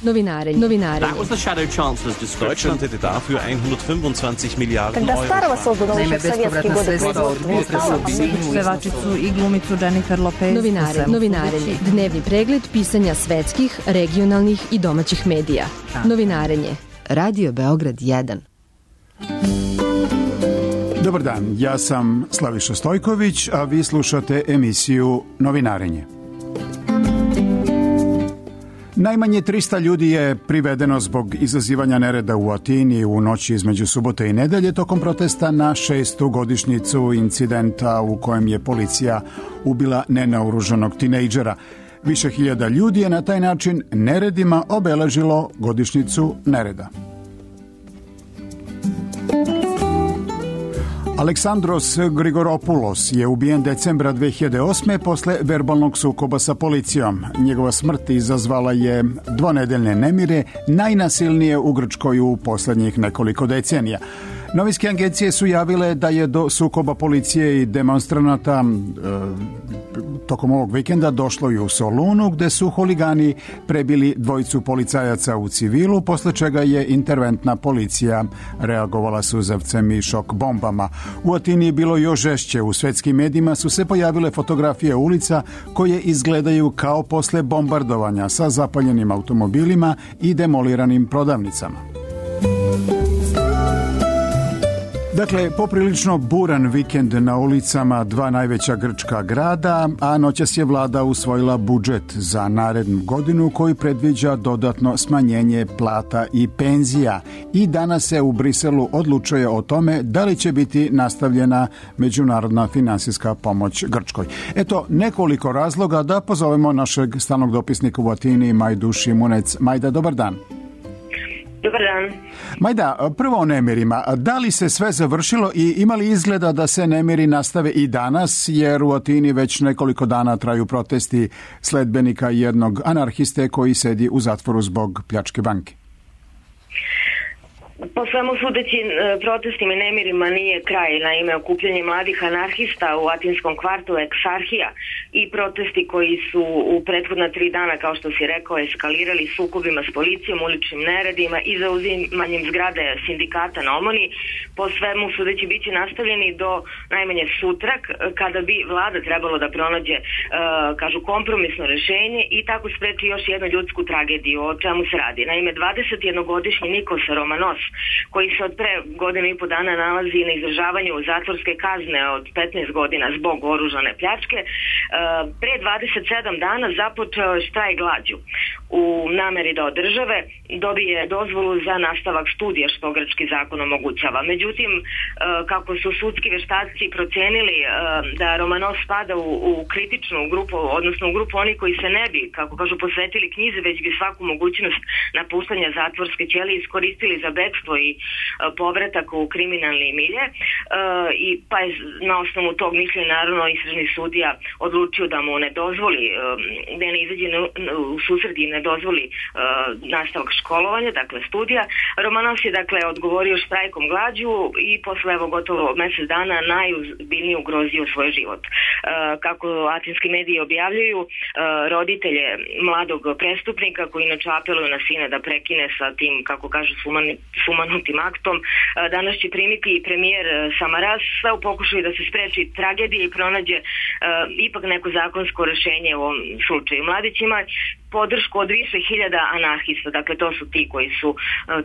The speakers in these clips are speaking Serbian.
Novinare. That was the Shadow Chancellor's description. Deutschland hätte dafür 125 Milijarden Когда старого Euro. создано еще в советские годы производства не стало, pevačicu i glumicu Jennifer Lopez. Novinarenje. Dnevni pregled pisanja svetskih, regionalnih i domaćih medija. Novinarenje. Radio Beograd 1. Dobar dan, ja sam Slaviša Stojković, a vi slušate emisiju Novinarenje. Najmanje 300 ljudi je privedeno zbog izazivanja nereda u Atini u noći između subote i nedelje tokom protesta na 6. godišnjicu incidenta u kojem je policija ubila nenaoružanog tinejdžera. Više hiljada ljudi je na taj način neredima obeležilo godišnjicu nereda. Aleksandros Grigoropoulos je ubijen decembra 2008. posle verbalnog sukoba sa policijom. Njegova smrt izazvala je dvonedeljne nemire, najnasilnije u Grčkoj u poslednjih nekoliko decenija. Novinske agencije su javile da je do sukoba policije i demonstranata tokom ovog vikenda došlo i u Solunu, gde su huligani prebili dvojicu policajaca u civilu, posle čega je interventna policija reagovala suzavcem i šok bombama. U Atini je bilo još žešće. U svetskim medijima su se pojavile fotografije ulica koje izgledaju kao posle bombardovanja sa zapaljenim automobilima i demoliranim prodavnicama. Dakle, poprilično buran vikend na ulicama dva najveća grčka grada, a noćas je vlada usvojila budžet za narednu godinu koji predviđa dodatno smanjenje plata i penzija. I danas se u Briselu odlučuje o tome da li će biti nastavljena međunarodna finansijska pomoć Grčkoj. Eto nekoliko razloga da pozovemo našeg stalnog dopisnika u Atini, Majdu Šimunec. Majda, dobar dan. Dobar dan. Majda, prvo o nemirima. Da li se sve završilo i ima li izgleda da se nemiri nastave i danas, jer u Atini već nekoliko dana traju protesti sledbenika jednog anarhiste koji sedi u zatvoru zbog pljačke banke? Po svemu sudeći protestima i nemirima nije kraj. Naime, okupljanje mladih anarhista u atinskom kvartu Eksarhija i protesti koji su u prethodna 3 dana, kao što si rekao, eskalirali sukobima s policijom, uličnim neredima i zauzimanjem zgrade sindikata na Omoni, po svemu sudeći biće nastavljeni do najmanje sutra, kada bi vlada trebalo da pronađe, kažu, kompromisno rešenje i tako spreči još jednu ljudsku tragediju. O čemu se radi? Naime, 21-godišnji Nikos Romanos, koji se od pre godinu i po dana nalazi na izdržavanju zatvorske kazne od 15 godina zbog oružane pljačke, pre 27 dana započeo je štrajk glađu u nameri da od države dobije dozvolu za nastavak studija, što grčki zakon omogućava. Međutim, kako su sudski veštaci procenili da Romanos spada u kritičnu grupu, odnosno u grupu onih koji se ne bi, kako kažu, posvetili knjizi, već bi svaku mogućnost napuštanja zatvorske ćelije iskoristili za bekstvo i povratak u kriminalni milje, i pa je na osnovu tog mišljenja naravno istražni sudija odlučio da mu ne dozvoli, da ne izađe u susret i ne dozvoli nastavak školovanja, dakle studija. Romanos je dakle odgovorio štrajkom glađu i posle evo gotovo mesec dana najozbiljnije ugrozio svoj život. Kako atinski mediji objavljuju, roditelje mladog prestupnika, koji inače apeluju na sina da prekine sa tim, kako kažu, sumanutim aktom, danas će primiti i premijer Samaras, sve u pokušaju da se spreči tragedija i pronađe ipak neko zakonsko rešenje u ovom slučaju. Mladić ima podršku od više hiljada anarhista, dakle to su ti koji su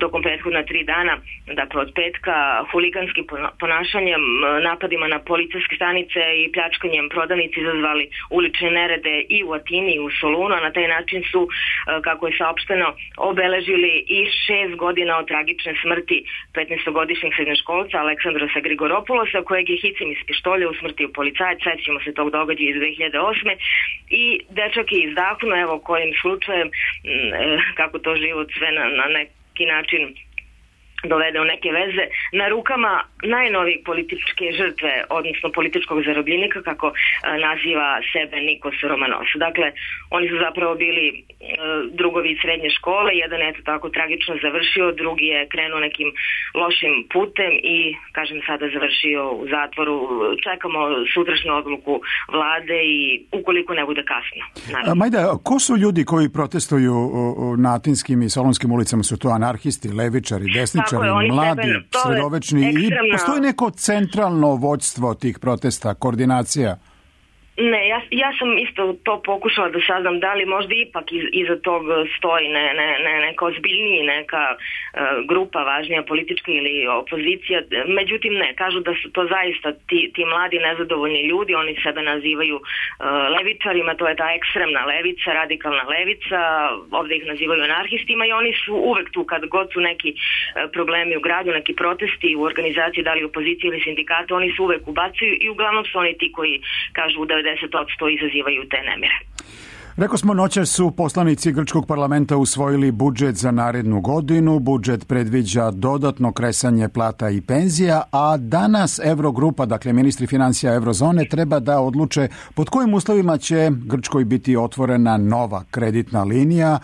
tokom prethodna 3 dana, dakle od petka, huliganskim ponašanjem, napadima na policijske stanice i pljačkanjem prodavnici izazvali ulične nerede i u Atini i u Solunu, a na taj način su, kako je saopšteno, obeležili i 6 godina od tragične smrti 15-godišnjeg srednjoškolca Aleksandrosa Grigoropoulosa, kojeg je hicem iz pištolja usmrtio policajac. Sećamo se tog događaja iz 2008. I dečak je izdahnuo, evo kojim slučajem, kako to život sve na neki način dovede u neke veze na rukama najnovijeg političke žrtve, odnosno političkog zarobljenika, kako naziva sebe Nikos Romanos. Dakle, oni su zapravo bili drugovi iz srednje škole, jedan je tako tragično završio, drugi je krenuo nekim lošim putem i, kažem, sada završio u zatvoru. Čekamo sutrašnju odluku vlade i ukoliko ne bude kasno. Majda, ko su ljudi koji protestuju na Atinskim i Solonskim ulicama? Su to anarhisti, levičari, desničari? Mladi, sredovečni i postoji neko centralno vođstvo tih protesta, koordinacija? Ne, ja sam isto to pokušala da saznam da li možda ipak iza tog stoji neka ozbiljniji, neka grupa važnija politička ili opozicija. Međutim ne, kažu da su to zaista ti mladi nezadovoljni ljudi, oni sebe nazivaju levičarima, to je ta ekstremna levica, radikalna levica, ovdje ih nazivaju anarhistima i oni su uvek tu kad god su neki problemi u gradu, neki protesti u organizaciji, da li opozicije ili sindikata, oni su uvek ubacuju i uglavnom su oni ti koji kažu da 10% izazivaju te nemire. Rekao smo, noćas su poslanici grčkog parlamenta usvojili budžet za narednu godinu. Budžet predviđa dodatno kresanje plata i penzija, a danas Eurogrupa, dakle ministri financija Eurozone, treba da odluče pod kojim uslovima će Grčkoj biti otvorena nova kreditna linija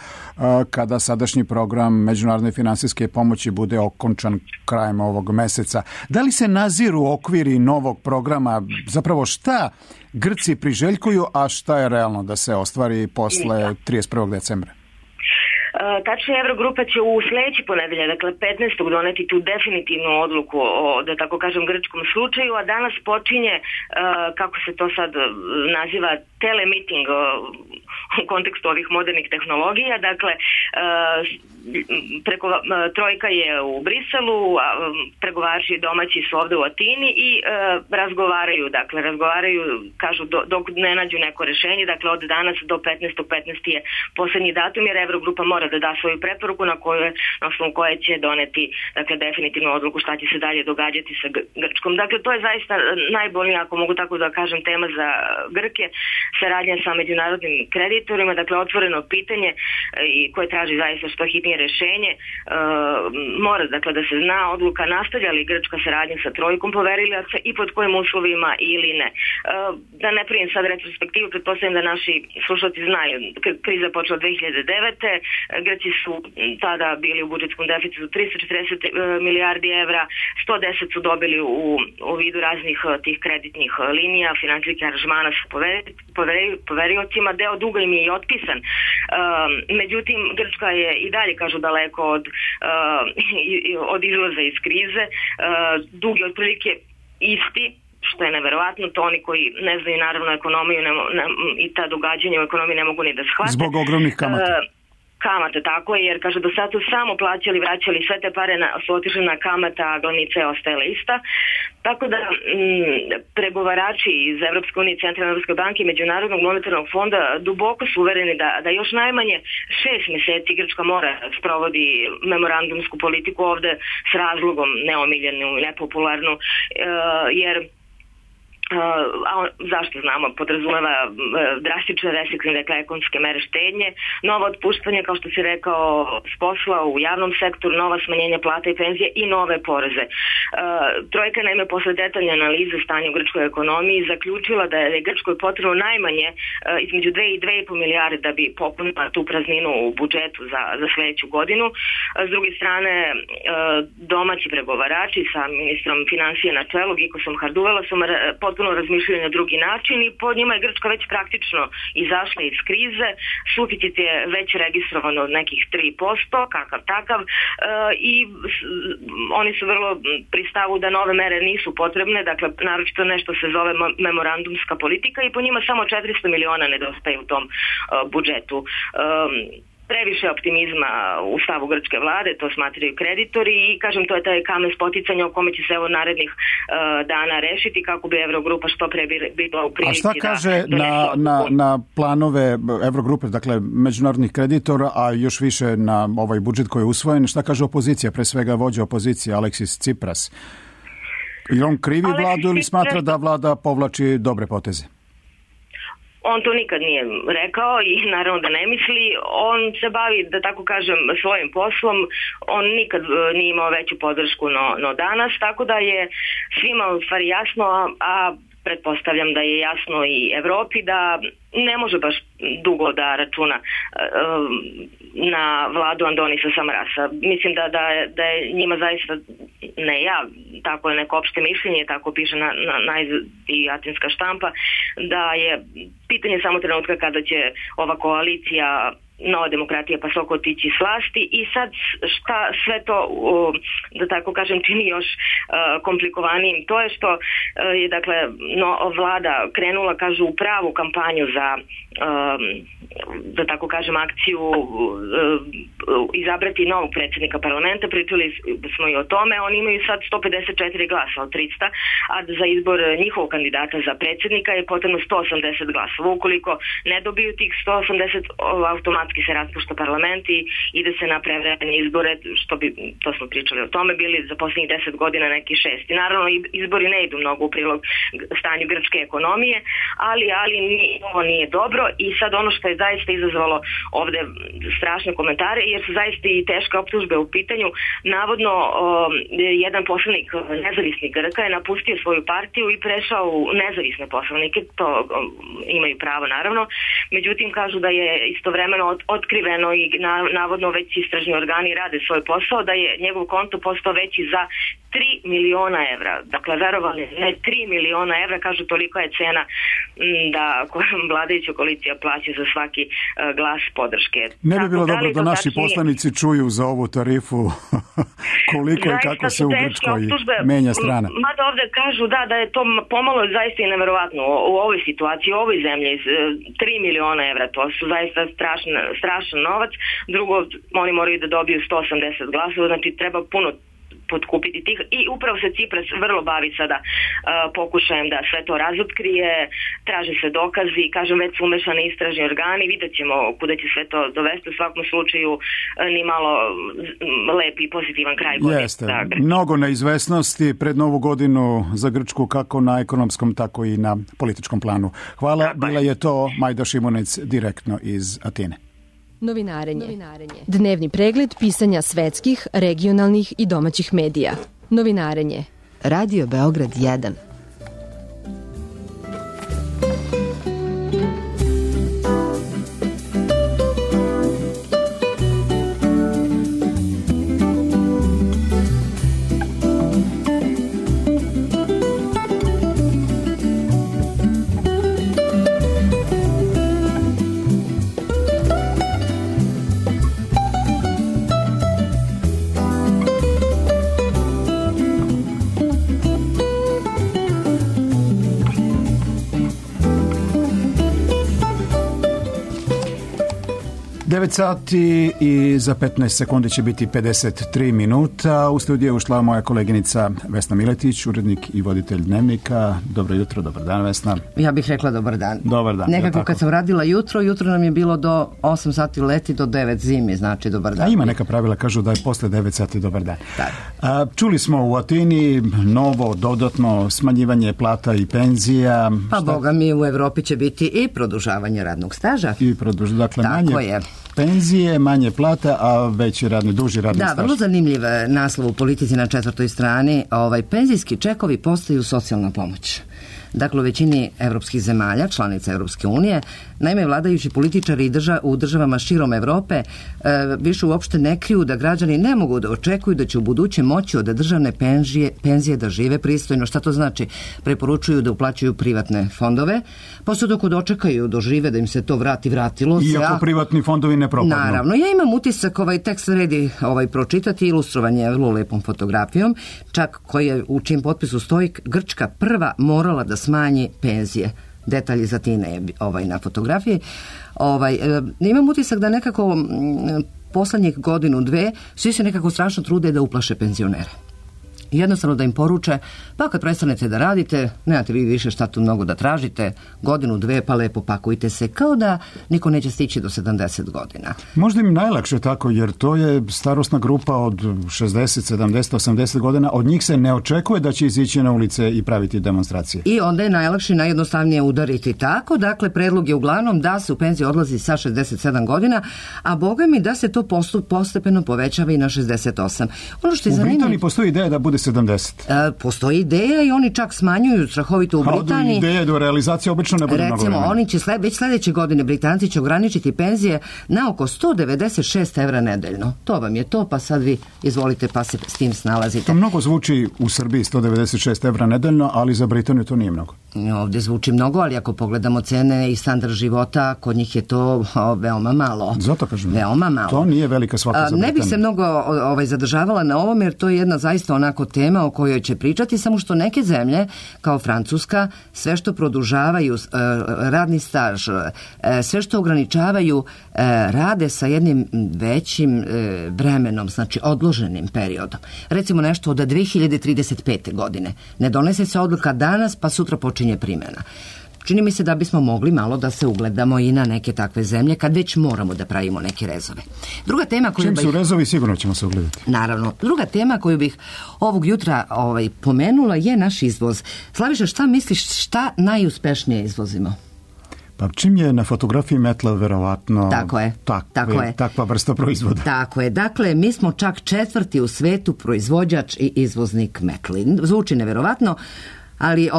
kada sadašnji program međunarodne finansijske pomoći bude okončan krajem ovog meseca. Da li se naziru okviri novog programa? Zapravo šta Grci priželjkuju, a šta je realno da se ostvari posle 31. decembra? Tačno, Eurogrupa će u sljedeći ponedeljak, dakle 15. doneti tu definitivnu odluku o, da tako kažem, grčkom slučaju, a danas počinje, kako se to sad naziva, telemiting u kontekstu ovih modernih tehnologija. Dakle, trojka je u Briselu, pregovarači domaći su ovdje u Atini i razgovaraju, kažu dok ne nađu neko rješenje, dakle od danas do 15. je posljednji datum, jer Eurogrupa mora da da svoju preporuku na osnovu koje će doneti, dakle, definitivnu odluku šta će se dalje događati sa Grčkom. Dakle, to je zaista najbolnija, ako mogu tako da kažem, tema za Grke, saradnja sa međunarodnim kreditorima, dakle otvoreno pitanje i koje traži zaista što hitnije rješenje. Mora, dakle, da se zna odluka nastavlja li grčka saradnja sa trojkom poverilaca i pod kojim uslovima ili ne. Da ne primim sad retrospektivu, pretpostavljam da naši slušalci znaju, kriza počela 2009. Grci su tada bili u budžetskom deficitu 340 milijardi evra, 110 su dobili u vidu raznih tih kreditnih linija, financijskih aranžmana sa poveriocima, deo duga im je i otpisan. Međutim, Grčka je i dalje, kažu, daleko od izlaza iz krize. Dug je otprilike isti, što je neverovatno, to oni koji ne znaju naravno ekonomiju i ta događanja u ekonomiji ne mogu ni da shvate. Zbog ogromnih kamata. Kamate, tako je, jer kaže do sad su samo plaćali, vraćali sve te pare su otišli na kamata, a glavnica je ostajala ista. Tako da pregovarači iz Evropske unije, Centralne Evropske banke i Međunarodnog monetarnog fonda duboko su uvereni da još najmanje 6 mjeseci Grčka mora sprovodi memorandumsku politiku ovde s razlogom neomiljenu i nepopularnu, jer zašto znamo, podrazumeva drastične restriktivne, dakle, ekonomske mere štednje, nova otpuštanja, kao što si rekao, s posla u javnom sektoru, nova smanjenja plata i penzije i nove poreze. Trojka, naime, posle detaljne analize stanja u grčkoj ekonomiji zaključila da je Grčkoj potrebno najmanje između 2 i 2,5 milijarde da bi popunila tu prazninu u budžetu za sljedeću godinu. S druge strane, domaći pregovarači sa ministrom financije na čelu, Gikosom Harduvela, su potpuno razmišljaju na drugi način i po njima je Grčka već praktično izašla iz krize. Suficit je već registrovan od nekih 3%, kakav takav, i oni su vrlo pri stavu da nove mere nisu potrebne, dakle naročito nešto se zove memorandumska politika i po njima samo 400 miliona nedostaje u tom budžetu. Previše optimizma u stavu grčke vlade, to smatraju kreditori i, kažem, to je taj kamen spoticanja o kome će se evo narednih dana rešiti kako bi Eurogrupa što pre bila u prilici. A šta kaže na planove Eurogrupe, dakle međunarodnih kreditora, a još više na ovaj budžet koji je usvojen, šta kaže opozicija, pre svega vođa opozicije Aleksis Tsipras? Ili on krivi vladu ili smatra da vlada povlači dobre poteze? On to nikad nije rekao i naravno da ne misli. On se bavi, da tako kažem, svojim poslom. On nikad nije imao veću podršku no danas, tako da je svima u stvari jasno, a pretpostavljam da je jasno i Evropi da ne može baš dugo da računa na vladu Andonisa Samarasa. Mislim da je njima zaista, ne ja, tako je neko opšte mišljenje, tako piše na i atinska štampa, da je pitanje samo trenutka kada će ova koalicija Nova demokratija pa Soko otići s vlasti i sad šta sve to, da tako kažem, čini još komplikovanijim. To je što je dakle vlada krenula, kažu, u pravu kampanju za da tako kažem akciju izabrati novog predsjednika parlamenta. Pričali smo i o tome. Oni imaju sad 154 glasa od 300, a za izbor njihovog kandidata za predsjednika je potrebno 180 glasova. Ukoliko ne dobiju tih 180, automatski se raspušta parlament i ide se na prevremene izbore, što bi, to smo pričali o tome, bili za posljednjih 10 godina neki 6. I naravno izbori ne idu mnogo u prilog stanju grčke ekonomije, ali ovo nije dobro i sad ono što je zaista izazvalo ovde strašne komentare, jer su zaista i teške optužbe u pitanju. Navodno jedan poslanik nezavisnih Grka je napustio svoju partiju i prešao u nezavisne poslanike, to imaju pravo naravno, međutim kažu da je istovremeno otkriveno i navodno već istražni organi rade svoj posao, da je njegov konto postao veći za 3 miliona evra. Dakle, verovali, ne 3 miliona evra, kažu tolika je cena da vladajuća koalicija plaća za svaki glas podrške. Ne bi bilo dobro da naši poslanici čuju za ovu tarifu koliko i kako se u Grčkoj menja strana. Mada ovde kažu da je to pomalo zaista i neverovatno u ovoj situaciji, u ovoj zemlji, 3 miliona evra, to su zaista strašan novac. Drugo, oni moraju da dobiju 180 glasova, znači treba puno potkupiti tih i upravo se Cipras vrlo bavi sada pokušajem da sve to razotkrije, traže se dokazi, kažem, već su umešani istražni organi, vidjet ćemo kuda će sve to dovesti, u svakom slučaju ni malo lep i pozitivan kraj godine. Jeste, mnogo neizvesnosti pred novu godinu za Grčku, kako na ekonomskom, tako i na političkom planu. Hvala, bila je to Majda Šimunec direktno iz Atine. Novinarenje. Dnevni pregled pisanja svetskih, regionalnih i domaćih medija. Novinarenje. Radio Beograd 1. Sati i za 15 sekundi će biti 53 minuta. U studiju je ušla moja koleginica Vesna Miletić, urednik i voditelj Dnevnika. Dobro jutro, dobar dan, Vesna. Ja bih rekla dobar dan. Dobar dan. Nekako kad sam radila jutro nam je bilo do 8 sati leti, do 9 zimi, znači dobar dan. A ima neka pravila, kažu da je posle 9 sati dobar dan. Čuli smo u Atini novo, dodatno smanjivanje plata i penzija. Pa boga mi, u Evropi će biti i produžavanje radnog staža. Dakle, tako manje je. Penzije, manje plata, a veći duži radni staž. Da, vrlo zanimljiv naslov u Politici na 4. strani. Penzijski čekovi postaju socijalna pomoć. Dakle, u većini evropskih zemalja, članica Evropske unije, naime, vladajući političari u državama širom Evrope više uopšte ne kriju da građani ne mogu da očekuju da će u buduće moći od državne penzije da žive pristojno. Šta to znači? Preporučuju da uplaćuju privatne fondove, pa se dok dočekaju, dožive da im se to vratilo se. Iako privatni fondovi ne propadnu. Naravno, ja imam utisak, tekst redi pročitati, ilustrovan je vrlo lepom fotografijom, čak u čijem potpisu stoji Grčka prva morala da smanji penzije. Detalji za Atine je na fotografiji. Imam utisak da nekako poslednjih godinu, dve, svi se nekako strašno trude da uplaše penzionere. jednostavno da im poruče, pa kad prestanete da radite, nemate vi više šta tu mnogo da tražite, godinu, dve, pa lepo pakujte se, kao da niko neće stići do 70 godina. Možda im najlakše tako, jer to je starosna grupa od 60, 70, 80 godina, od njih se ne očekuje da će izići na ulice i praviti demonstracije. I onda je najlakše, najjednostavnije udariti tako, dakle, predlog je uglavnom da se u penziju odlazi sa 67 godina, a boga mi da se to postepeno povećava i na 68. Ono što je u Britaniji postoji ideja da bude 70. Postoji ideja i oni čak smanjuju strahovito u Britaniji. Ideja do realizacije obično ne bude mnogo vremena. Oni će već sljedeće godine Britanci će ograničiti penzije na oko 196 evra nedeljno. To vam je to, pa sad vi izvolite pa se s tim snalazite. To mnogo zvuči u Srbiji 196 evra nedeljno, ali za Britaniju to nije mnogo. Ovdje zvuči mnogo, ali ako pogledamo cene i standard života, kod njih je to veoma malo. Zato kažem, veoma malo. To nije velika svaka za Britaniju. Ne bih se mnogo zadržavala na ovom, jer to je jedna zaista onako tema o kojoj će pričati, samo što neke zemlje, kao Francuska, sve što produžavaju radni staž, sve što ograničavaju, rade sa jednim većim vremenom, znači odloženim periodom. Recimo nešto od 2035. godine. Ne donese se odluka danas, pa sutra počinje primjena. Čini mi se da bismo mogli malo da se ugledamo i na neke takve zemlje kad već moramo da pravimo neke rezove. Druga tema koju čim su rezovi, sigurno ćemo se ugledati. Naravno. Druga tema koju bih ovog jutra pomenula je naš izvoz. Slaviša, šta misliš, šta najuspešnije izvozimo? Pa čim je na fotografiji metla, verovatno takva vrsta proizvoda. Tako je. Dakle, mi smo čak 4. u svetu proizvođač i izvoznik metli. Zvuči neverovatno, ali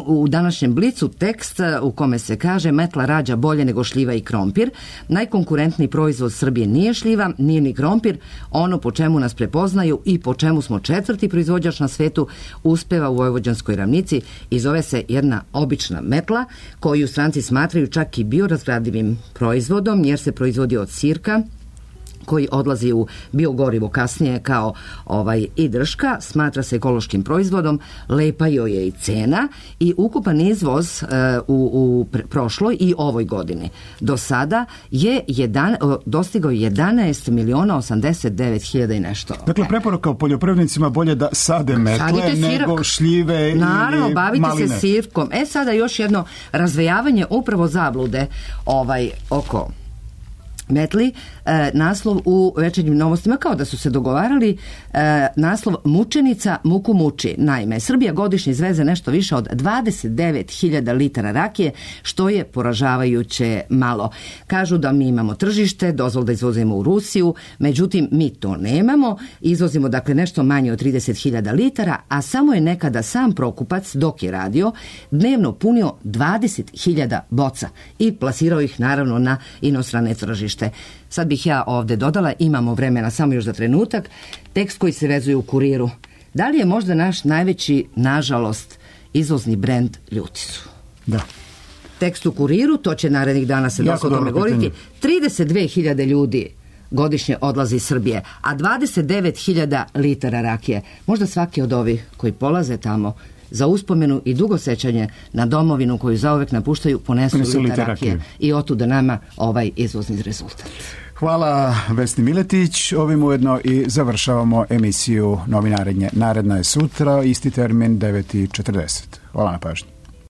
u današnjem Blicu tekst u kome se kaže metla rađa bolje nego šljiva i krompir. Najkonkurentniji proizvod Srbije nije šljiva, nije ni krompir. Ono po čemu nas prepoznaju i po čemu smo 4. proizvođač na svetu uspeva u Vojvođanskoj ravnici i zove se jedna obična metla koju stranci smatraju čak i biorazgradivim proizvodom jer se proizvodi od sirka koji odlazi u biogorivo kasnije kao i drška, smatra se ekološkim proizvodom, lepa joj je i cena i ukupan izvoz u prošloj i ovoj godini do sada je dostigao 11.089.000 i nešto. Dakle, preporuka u poljoprivrednicima bolje da sade metle nego šljive ili maline. Naravno, bavite se sirkom. Sada još jedno razvejavanje upravo zablude oko metli, naslov u Večernjim novostima kao da su se dogovarali, naslov Mučenica muku muči. Naime, Srbija godišnje izveze nešto više od 29.000 litara rakije, što je poražavajuće malo. Kažu da mi imamo tržište, dozvol da izvozimo u Rusiju, međutim mi to nemamo, izvozimo dakle nešto manje od 30.000 litara, a samo je nekada sam Prokupac, dok je radio, dnevno punio 20.000 boca i plasirao ih naravno na inostrane tržište. Sad bih ja ovdje dodala, imamo vremena samo još za trenutak, tekst koji se vezuje u Kuriru. Da li je možda naš najveći, nažalost, izvozni brend Ljuticu? Da. Tekst u Kuriru, to će narednih dana se dosta o tome govoriti. 32.000 ljudi godišnje odlazi iz Srbije, a 29.000 litara rakije. Možda svaki od ovih koji polaze tamo za uspomenu i dugo sećanje na domovinu koju zauvek napuštaju ponesu liter rakije i otuda nama ovaj izvozni rezultat. Hvala Vesni Miletić. Ovim ujedno i završavamo emisiju Novinarenje. Naredna je sutra, isti termin 9:40. Hvala na pažnji.